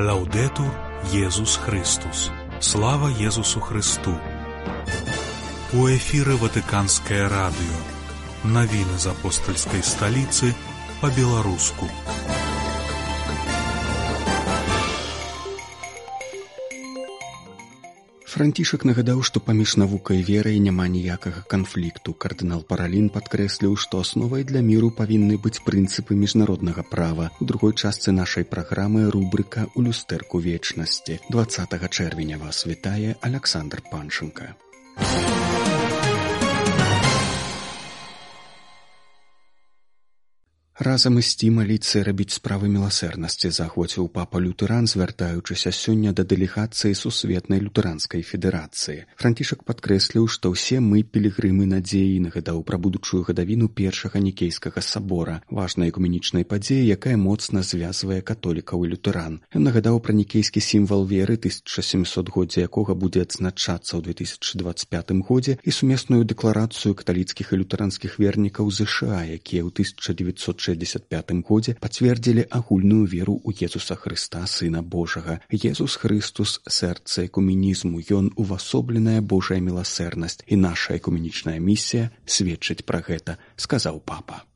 Лаўдэтур Езус Христус. Слава Езусу Христу. У эфіры Ватыканскае радыё. Навіны з апостальскай сталіцы па-беларуску. Францішак нагадаў, што паміж навукай і верай няма ніякага канфлікту. Кардынал Паралін падкрэсліў, што асновай для міру павінны быць прынцыпы міжнароднага права. У другой частцы нашай праграмы рубрыка «У люстэрку вечнасці». 20 чэрвеня вас вітае Аляксандр Панчынка. Разам ісці, маліцца і рабіць справы міласэрнасці, заахвоціў папа Лютэран, звяртаючыся сёння да дэлегацыі Сусветнай лютэранскай федэрацыі. Францішак падкрэсліў, што ўсе мы пілігрымы надзеі, і нагадаў пра будучую гадавіну першага Нікейскага сабора, важнай экуменічнай падзеі, якая моцна звязвае католікаў і лютэран. Ён нагадаў пра нікейскі сімвал веры, 1700-годдзе якога будзе адзначацца ў 2025 годзе, і сумесную дэкларацыю каталіцкіх і лютэранскіх вернікаў ЗША, якія ў 1965 годзе пацвердзілі агульную веру ў Езуса Хрыста, Сына Божага. Езус Христус – сэрца экуменізму, ён увасобленая Божая міласэрнасць, і наша экуменічная місія сведчыць пра гэта, сказаў папа.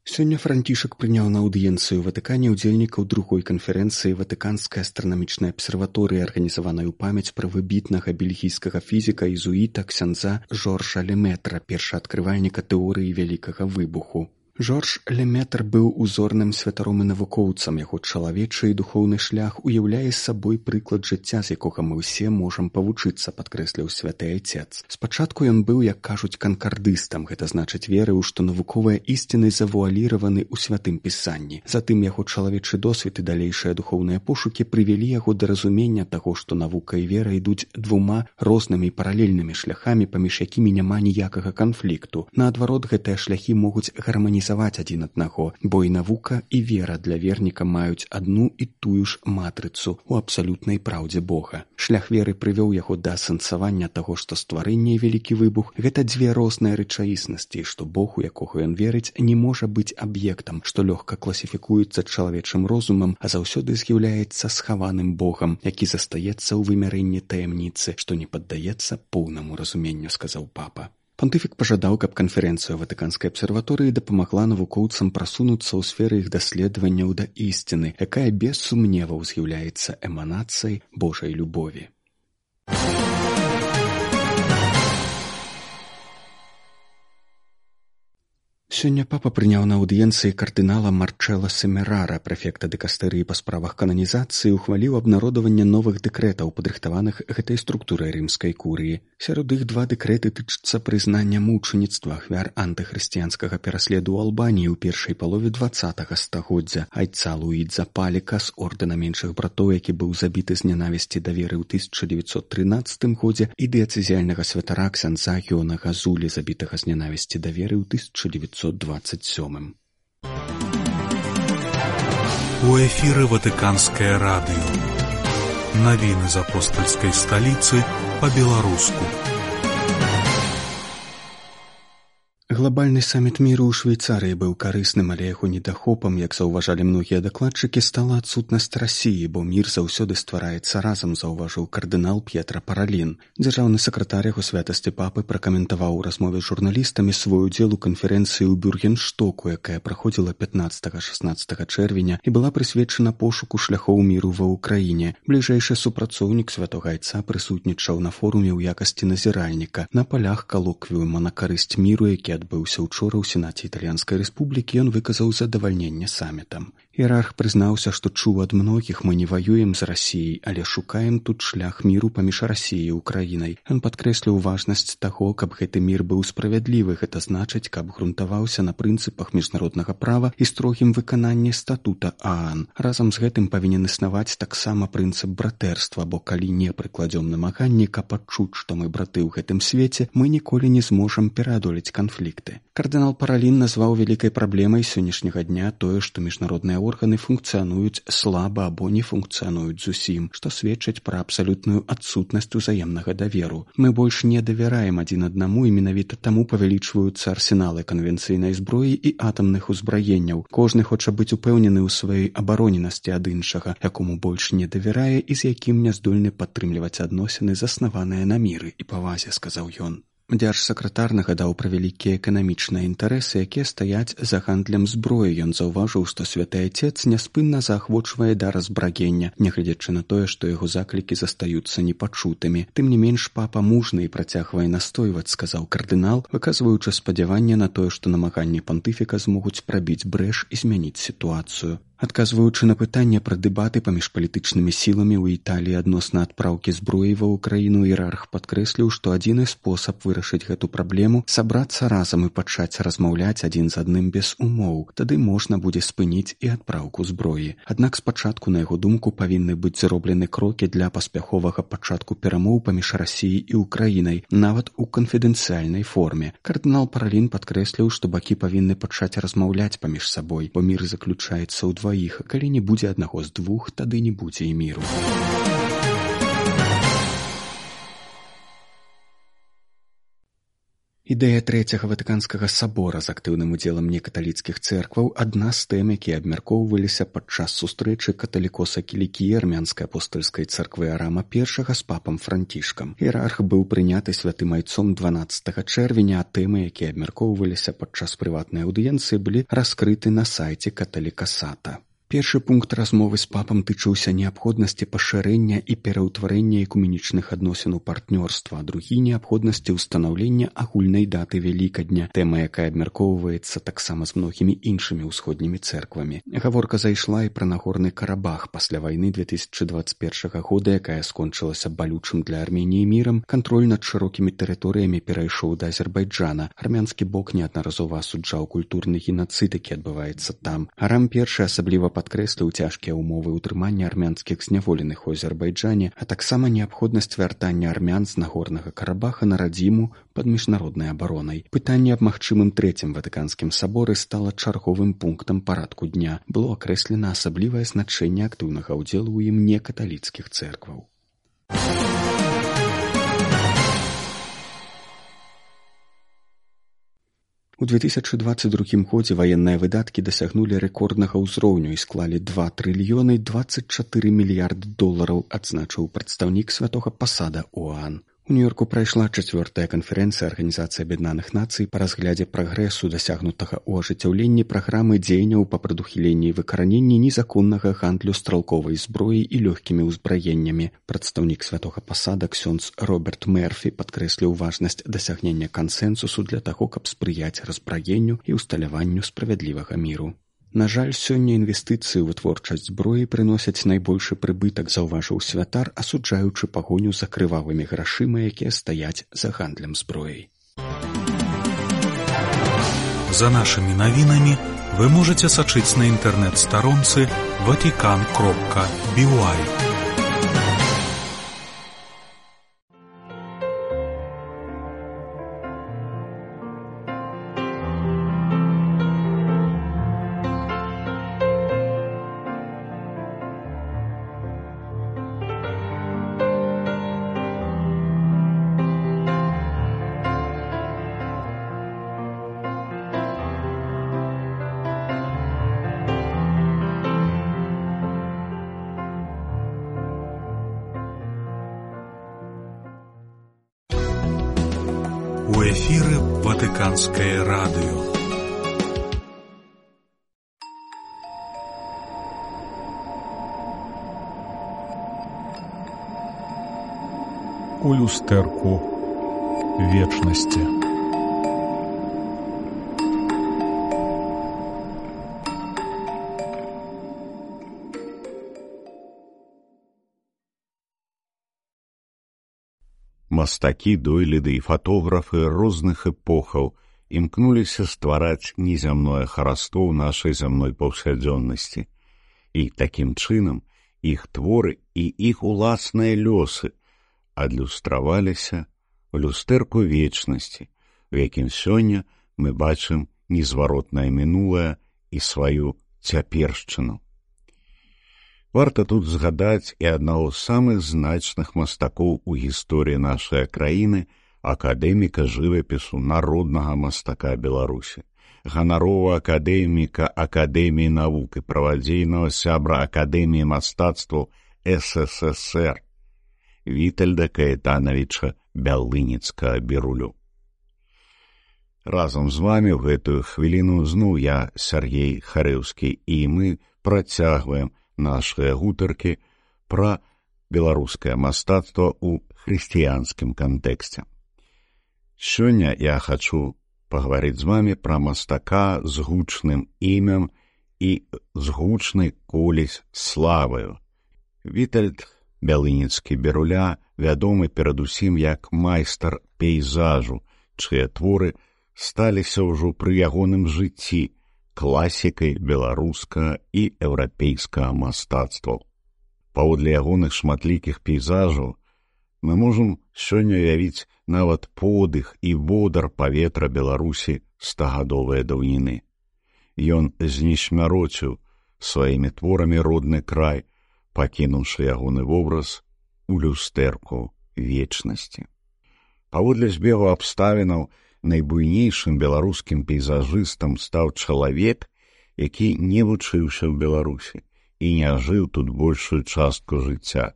Сёння Францішак прыняў на аўдыенцыю ў Ватыкане ўдзельнікаў другой канферэнцыі Ватыканскай астранамічнай абсерваторыі, арганізаванай у памяць пра выбітнага бельгійскага фізіка езуіта ксяндза Жоржа Лемэтра, першаадкрывальніка тэорыі вялікага выбуху. Жорж Лемэтр быў узорным святаром і навукоўцам. Яго чалавечы і духоўны шлях уяўляе сабой прыклад жыцця, з якога мы ўсе можам павучыцца, падкрэсліў святы айцец. Спачатку ён быў, як кажуць, канкардыстам, гэта значыць верыў, што навуковыя ісціны завуаліраваны ў святым пісанні. Затым яго чалавечы досвед і далейшыя духоўныя пошукі прывялі яго да разумення таго, што навука і вера ідуць двума рознымі паралельнымі шляхамі, паміж якімі няма ніякага канфлікту. Наадварот, гэтыя шляхі могуць гарманізаваць адзін аднаго, бо і навука, і вера для верніка маюць адну і тую ж матрыцу ў абсалютнай праўдзе Бога. Шлях веры прывёў яго да асэнсавання таго, што стварэнне і вялікі выбух – гэта дзве розныя рэчаіснасці, што Бог, у якога ён верыць, не можа быць аб'ектам, што лёгка класіфікуецца чалавечым розумам, а заўсёды з'яўляецца схаваным Богам, які застаецца ў вымярэнні таямніцы, што не паддаецца поўнаму разуменню, сказаў папа. Пантыфік пажадаў, каб канферэнцыя Ватыканскай абсерваторыі дапамагла навукоўцам прасунуцца ў сферы іх даследаванняў да ісціны, якая без сумневаў з'яўляецца эманацыяй Божай любові. Сёння папа прыняў на аўдыенцыі кардынала Марчэла Семерара, прэфекта дыкастэрыі па справах кананізацыі, ухваліў абнародаванне новых дэкрэтаў, падрыхтаваных гэтай структурай рымскай курыі. Сярод іх два дэкрэты тычацца прызнання мучаніцтва ахвяр антыхрысціянскага пераследу ў Албаніі ў першай палове 20-га стагоддзя, айца Луідза Паліка з ордэна меншых братоў, які быў забіты з нянавісці да веры ў 1913 годзе, і дыяцэзіяльнага святара ксяндза Йона Газулі, забітага з нянавісці да веры ў 1927. У эфіры Ватыканскае радыё. Навіны з апостальскай сталіцы па-беларуску. Глобальны саміт міру ў Швейцарыі быў карысным, але яго недахопам, як заўважалі многія дакладчыкі, стала адсутнасць Расіі, бо мір заўсёды ствараецца разам, заўважыў кардынал П'етра Паралін. Дзяржаўны сакратар яго святасці папы пракаментаваў у размове з журналістамі свой удзел у канферэнцыі ў Бюргенштоку, якая праходзіла 15-16 чэрвеня і была прысвечана пошуку шляхоў міру ва ўкраіне. Бліжэйшы супрацоўнік святога айца прысутнічаў на форуме ў якасці назіральніка. На палях калоквіума на карысць міру, які адбыўся учора ў Сенаце Італьянскай Рэспублікі, ён выказаў задавальненне самітам. Іерарх прызнаўся, што чуў ад многіх: мы не ваюем з Расіяй, але шукаем тут шлях міру паміж Расіяй і Украінай. Ён падкрэсліў важнасць таго, каб гэты мір быў справядлівы, гэта значыць, каб грунтаваўся на прынцыпах міжнароднага права і строгім выкананні статута ААН. Разам з гэтым павінен існаваць таксама прынцып братэрства, бо калі не прыкладзём намаганні, каб адчуць, што мы браты ў гэтым свеце, мы ніколі не зможам пераадолець канфлікты. Кардынал Паралін назваў вялікай праблемай сённяшняга дня тое, што міжнародныя органы функцыянуюць слаба або не функцыянуюць зусім, што сведчыць пра абсалютную адсутнасць узаемнага даверу. Мы больш не давяраем адзін аднаму і менавіта таму павялічваюцца арсеналы канвенцыйнай зброі і атамных узбраенняў. Кожны хоча быць упэўнены ў сваёй абароненасці ад іншага, якому больш не давярае і з якім не здольны падтрымліваць адносіны, заснаваныя на міры і павазе, сказаў ён. Дзяржсакратар нагадаў пра вялікія эканамічныя інтарэсы, якія стаяць за гандлем зброі. Ён заўважыў, што святы Айцец няспынна заахвочвае да разбрагення, нягледзячы на тое, што яго заклікі застаюцца непачутымі. Тым не менш, папа мужны і працягвае настойваць, сказаў кардынал, выказваючы спадзяванне на тое, што намаганні пантыфіка змогуць прабіць брэш і змяніць сітуацыю. Адказваючы на пытанне пра дэбаты паміж палітычнымі сіламі ў Італіі адносна адпраўкі зброі ва ўкраіну, іерарх падкрэсліў, што адзіны спосаб вырашыць гэту праблему — сабрацца разам і пачаць размаўляць адзін з адным без умоў. Тады можна будзе спыніць і адпраўку зброі. Аднак спачатку, на яго думку, павінны быць зроблены крокі для паспяховага пачатку перамоў паміж Расіяй і Украінай, нават у канфідэнцыяльнай форме. Кардынал Паралін падкрэсліў, што бакі павінны пачаць размаўляць паміж сабой, бо мір заключаецца ў дваіх. Калі не будзе аднаго з двух, тады не будзе і міру. Ідэя Трэцяга Ватыканскага сабора з актыўным удзелам некаталіцкіх цэркваў — адна з тэм, якія абмяркоўваліся падчас сустрэчы каталікоса Кілікіі армянскай апостальскай царквы Арама I з папам Францішкам. Іерарх быў прыняты святым айцом 12 чэрвеня, а тэмы, якія абмяркоўваліся падчас прыватнай аўдыенцыі, былі раскрыты на сайце каталікасата. Першы пункт размовы з папам тычыўся неабходнасці пашырэння і пераўтварэння экуменічных адносін у партнёрства, а другі — неабходнасці ўстанаўлення агульнай даты Вялікадня, тэма, якая абмяркоўваецца таксама з многімі іншымі ўсходнімі цэрквамі. Гаворка зайшла і пра Нагорны Карабах пасля вайны 2021 года, якая скончылася балючым для Арменіі мірам. Кантроль над шырокімі тэрыторыямі перайшоў да Азербайджана. Армянскі бок неаднаразова асуджаў культурны генацыд, які адбываецца там. Арам I асабліва падкрэсліў цяжкія ўмовы ўтрымання армянскіх зняволеных у Азербайджане, а таксама неабходнасць вяртання армян з Нагорнага Карабаха на радзіму пад міжнароднай абаронай. Пытанне аб магчымым Трэцім Ватыканскім саборы стала чарговым пунктам парадку дня. Было акрэслена асаблівае значэнне актыўнага ўдзелу ў ім некаталіцкіх цэркваў. У 2022 годзе ваенныя выдаткі дасягнулі рэкорднага ўзроўню і склалі 2 трыльёны 24 мільярды долараў, адзначыў прадстаўнік святога пасада ОАН. У Нью-Йорку прайшла 4-я канферэнцыя Арганізацыі Аб'яднаных Нацый па разглядзе прагрэсу, дасягнутага ў ажыццяўленні праграмы дзеянняў па прадухіленні і выкараненні незаконнага гандлю стралковай зброі і лёгкімі ўзбраеннямі. Прадстаўнік святога пасада ксёндз Роберт Мерфі падкрэсліў важнасць дасягнення кансэнсусу для таго, каб спрыяць разбраенню і ўсталяванню справядлівага міру. На жаль, сёння інвестыцыі ў вытворчасць зброі прыносяць найбольшы прыбытак, заўважыў святар, асуджаючы пагоню за крывавымі грашыма, якія стаяць за гандлем зброяй. За нашымі навінамі вы можаце сачыць на інтэрнэт-старонцы vatican.by. У эфіры Ватыканскае радыё. У люстэрку вечнасці. Мастакі, дойліды і фатографы розных эпохаў імкнуліся ствараць незямное хараство ў нашай зямной паўсядзённасці. І такім чынам іх творы і іх уласныя лёсы адлюстраваліся ў люстэрку вечнасці, у якім сёння мы бачым незваротнае мінулае і сваю цяпершчыну. Варта тут згадаць і аднаго з самых значных мастакоў у гісторыі нашай краіны, акадэміка жывапісу, народнага мастака Беларусі, ганаровага акадэміка Акадэміі навук і правадзейнага сябра Акадэміі мастацтваў СССР Вітальда Каэтанавіча Бялыніцкага-Бірулю. Разам з вамі ў гэтую хвіліну зноў я, Сяргей Харэўскі, і мы працягваем нашыя гутаркі пра беларускае мастацтва ў хрысціянскім кантэксце. Сёння я хачу пагаварыць з вамі пра мастака з гучным імем і з гучнай колісь славаю. Вітальд Бялыніцкі-Біруля вядомы перадусім як майстар пейзажу, чыя творы сталіся ўжо пры ягоным жыцці класікай беларускага і еўрапейскага мастацтваў. Паводле ягоных шматлікіх пейзажаў мы можам сёння уявіць нават подых і водар паветра Беларусі стагадовай даўніны. Ён знесмярочыў сваімі творамі родны край, пакінуўшы ягоны вобраз у люстэрку вечнасці. Паводле збегу абставінаў, найбуйнейшым беларускім пейзажыстам стаў чалавек, які не вучыўся ў Беларусі і не жыў тут большую частку жыцця.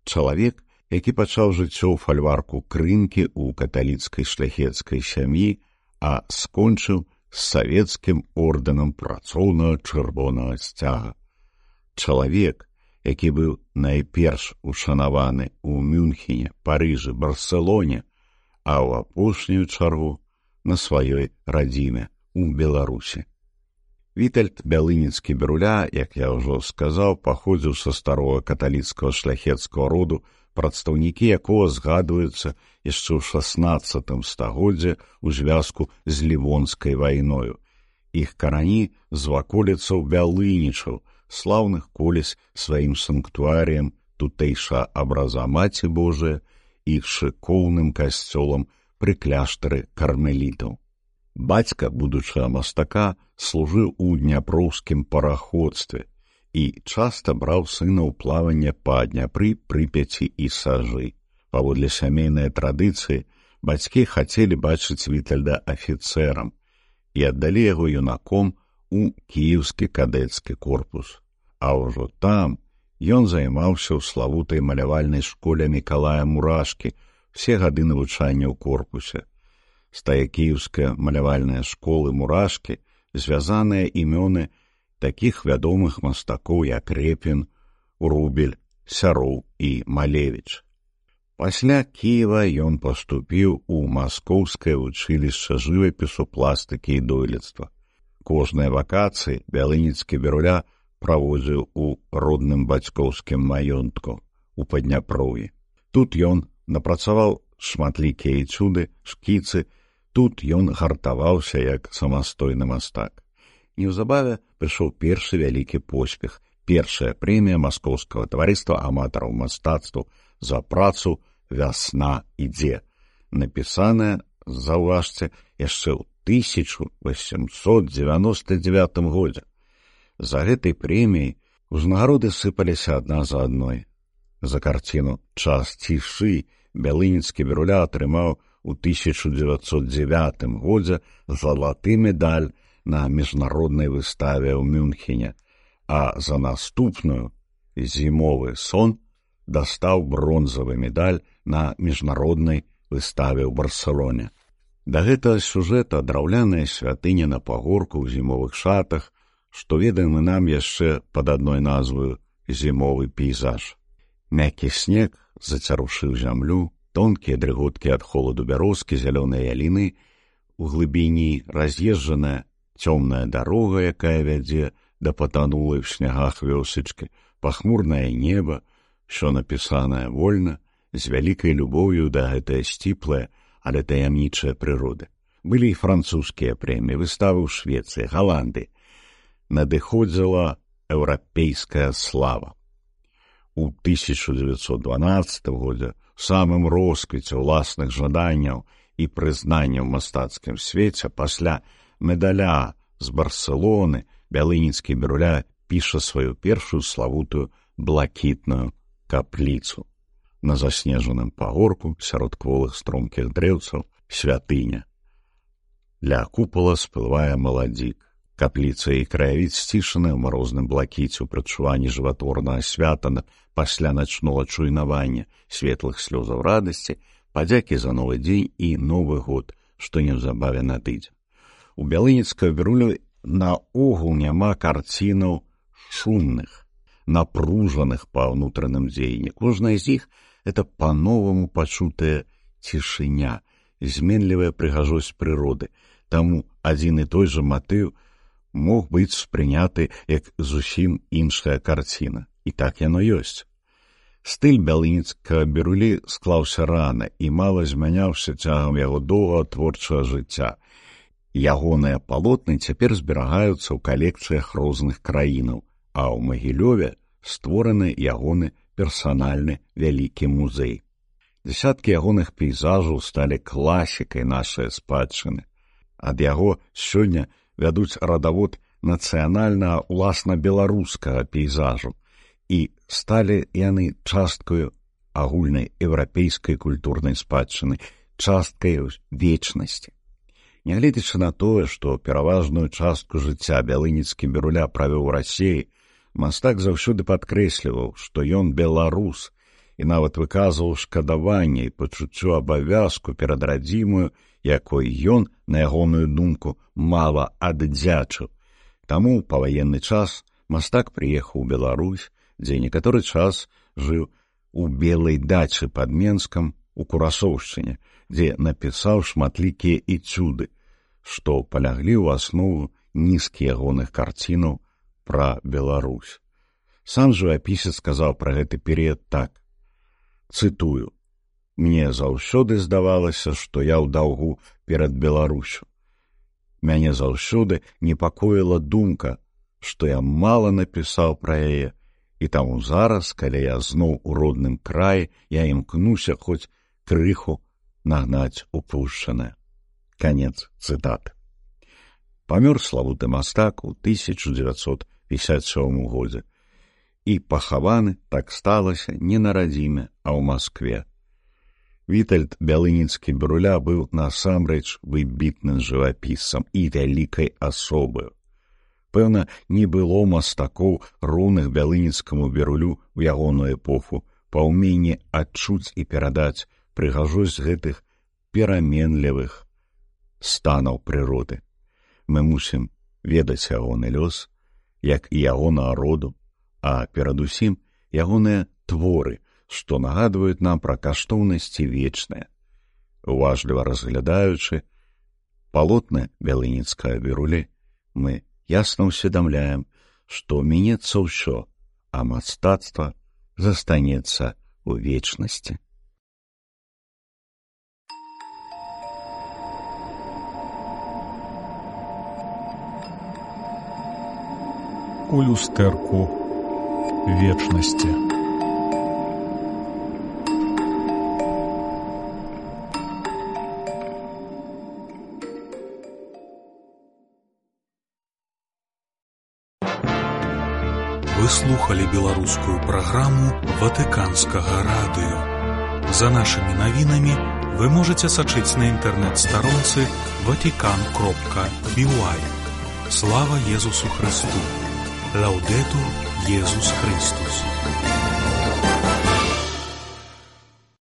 Чалавек, які пачаў жыццё ў фальварку Крынкі ў каталіцкай шляхецкай сям'і, а скончыў з савецкім ордэнам працоўнага чырвонага сцяга. Чалавек, які быў найперш ушанаваны ў Мюнхене, Парыжы, Барселоне, а ў апошнюю чаргу на сваёй радзіме ў Беларусі. Вітальд Бялыніцкі-Біруля, як я ўжо сказаў, паходзіў са старога каталіцкага шляхецкага роду, прадстаўнікі якога згадваюцца яшчэ ў 16 стагоддзі ў звязку з Лівонскай вайною. Іх карані з ваколіцаў Бялынічаў, слаўных колісь сваім санктуарыем тутэйша абраза Маці Божыя і шыкоўным касцёлам пры кляштары кармелітаў. Бацька будучага мастака служыў у дняпроўскім параходстве і часта браў сына ў плаванне па Дняпры, Прыпяці і Сажы. Паводле сямейнай традыцыі, бацькі хацелі бачыць Вітальда афіцэрам і аддалі яго юнаком у кіеўскі кадэцкі корпус. А ўжо там ён займаўся ў славутай малявальнай школе Мікалая Мурашкі ўсе гады навучання ў корпусе. З тае кіеўская малявальная школы Мурашкі звязаныя імёны такіх вядомых мастакоў, як Репін, Рубель, Сяроў і Малевіч. Пасля Кіева ён паступіў у Маскоўскае вучылішча жывапісу, пластыкі і дойлідства. Кожныя вакацыі Бялыніцкі-Біруля праводзіў у родным бацькоўскім маёнтку у Падняпроўі. Тут ён напрацаваў шматлікія эцюды, шкіцы, тут ён гартаваўся як самастойны мастак. Неўзабаве прыйшоў першы вялікі поспех, першая прэмія Маскоўскага таварыства аматараў мастацтваў за працу «Вясна ідзе», напісаная, заўважце, яшчэ ў 1899 годзе. За гэтай прэміяй узнагароды сыпаліся адна за адной. За карціну «Час цішы» Бялыніцкі-Біруля атрымаў у 1909 годзе залаты медаль на міжнароднай выставе ў Мюнхене, а за наступную «Зімовы сон» дастаў бронзавы медаль на міжнароднай выставе ў Барселоне. Да гэтага сюжэта драўляная святыня на пагорку ў зімовых шатах, што ведаем нам яшчэ пад адной назваю «Зімовы пейзаж». Мяккі снег зацярушыў зямлю, тонкія дрыготкі ад холаду бярозкі, зялёныя яліны, у глыбіні раз'езджаная цёмная дарога, якая вядзе да патанулай в снягах вёсачкі, пахмурнае неба, що напісанае вольна, з вялікай любоўю да гэтае сціплае, але таямнічае прыроды. Былі і французскія прэміі, выставы ў Швецыі, Галандыі. Надыходзіла еўрапейская слава. У 1912 годзе, у самым росквіце ўласных жаданняў і прызнанняў у мастацкім свеце, пасля медаля з Барселоны, бялыніцкі Біруля піша сваю першую славутую блакітную капліцу. На заснежаным пагорку сярод кволых стромкіх дрэўцаў святыня. Ля купала сплывае маладзік. Капліца і краявід сцішаны ў марозным блакіце ў прадчуванні жыватворнага свята пасля начнога чуйнавання, светлых слёзаў радасці, падзякі за новы дзень і новы год, што неўзабаве надыдзе. У бялыніцкага Бірулю наогул няма карцінаў шумных, напружаных па ўнутраным дзеянні. Кожная з іх — это па-новаму пачутая цішыня, зменлівая прыгажосць прыроды. Таму адзін і той жа матыў мог быць спрыняты як зусім іншая карціна. І так яно ёсць. Стыль бялыніцкага Бірулі склаўся рана і мала змяняўся цягам яго доўгага творчага жыцця. Ягоныя палотны цяпер зберагаюцца ў калекцыях розных краінаў, а ў Магілёве створаны ягоны персанальны вялікі музей. Дзясяткі ягоных пейзажаў сталі класікай нашай спадчыны. Ад яго сёння вядуць радавод нацыянальнага уласна беларускага пейзажу, і сталі яны часткаю агульнай еўрапейскай культурнай спадчыны, часткай вечнасці. Нягледзячы на тое, што пераважную частку жыцця бялыніцкі Біруля правёў у Расіі, мастак заўсёды падкрэсліваў, што ён беларус, і нават выказваў шкадаванне і пачуццё абавязку перад радзімаю, якой ён, на ягоную думку, мала аддзячыў. Таму ў паваенны час мастак прыехаў у Беларусь, дзе некаторы час жыў у Белай дачы пад Менскам у Курасоўшчыне, дзе напісаў шматлікія эцюды, што паляглі ў аснову нізкі ягоных карцінаў пра Беларусь. Сам жывапісец сказаў пра гэты перыяд так, цытую: «Мне заўсёды здавалася, што я ў даўгу перад Беларусю. Мяне заўсёды непакоіла думка, што я мала напісаў пра яе, і таму зараз, калі я зноў у родным краі, я імкнуся хоць крыху нагнаць упушчанае». Канец цытаты. Памёр славуты мастак у 1957 годзе і пахаваны, так сталася, не на радзіме, а ў Маскве. Вітальд Бялыніцкі Біруля быў насамрэч выбітным жывапісцам і вялікай асобаю. Пэўна, не было мастакоў, роўных Бялыніцкаму Бірулю ў ягоную эпоху па ўменні адчуць і перадаць прыгажосць гэтых пераменлівых станаў прыроды. Мы мусім ведаць ягоны лёс, як і ягонага роду, а перадусім ягоныя творы, што нагадваюць нам пра каштоўнасці вечныя. Уважліва разглядаючы палотны Бялыніцкага Бірулі, мы ясна ўсведамляем, што мінецца ўсё, а мастацтва застанецца ў вечнасці. У люстэрку вечнасці. Вы слухали беларускую праграму Ватыканскага радыё. За нашымі навінамі вы можаце сачыць на інтэрнэт-старонцы vatican.by. Слава Езусу Христу! Лаўдэтур Езус Христус!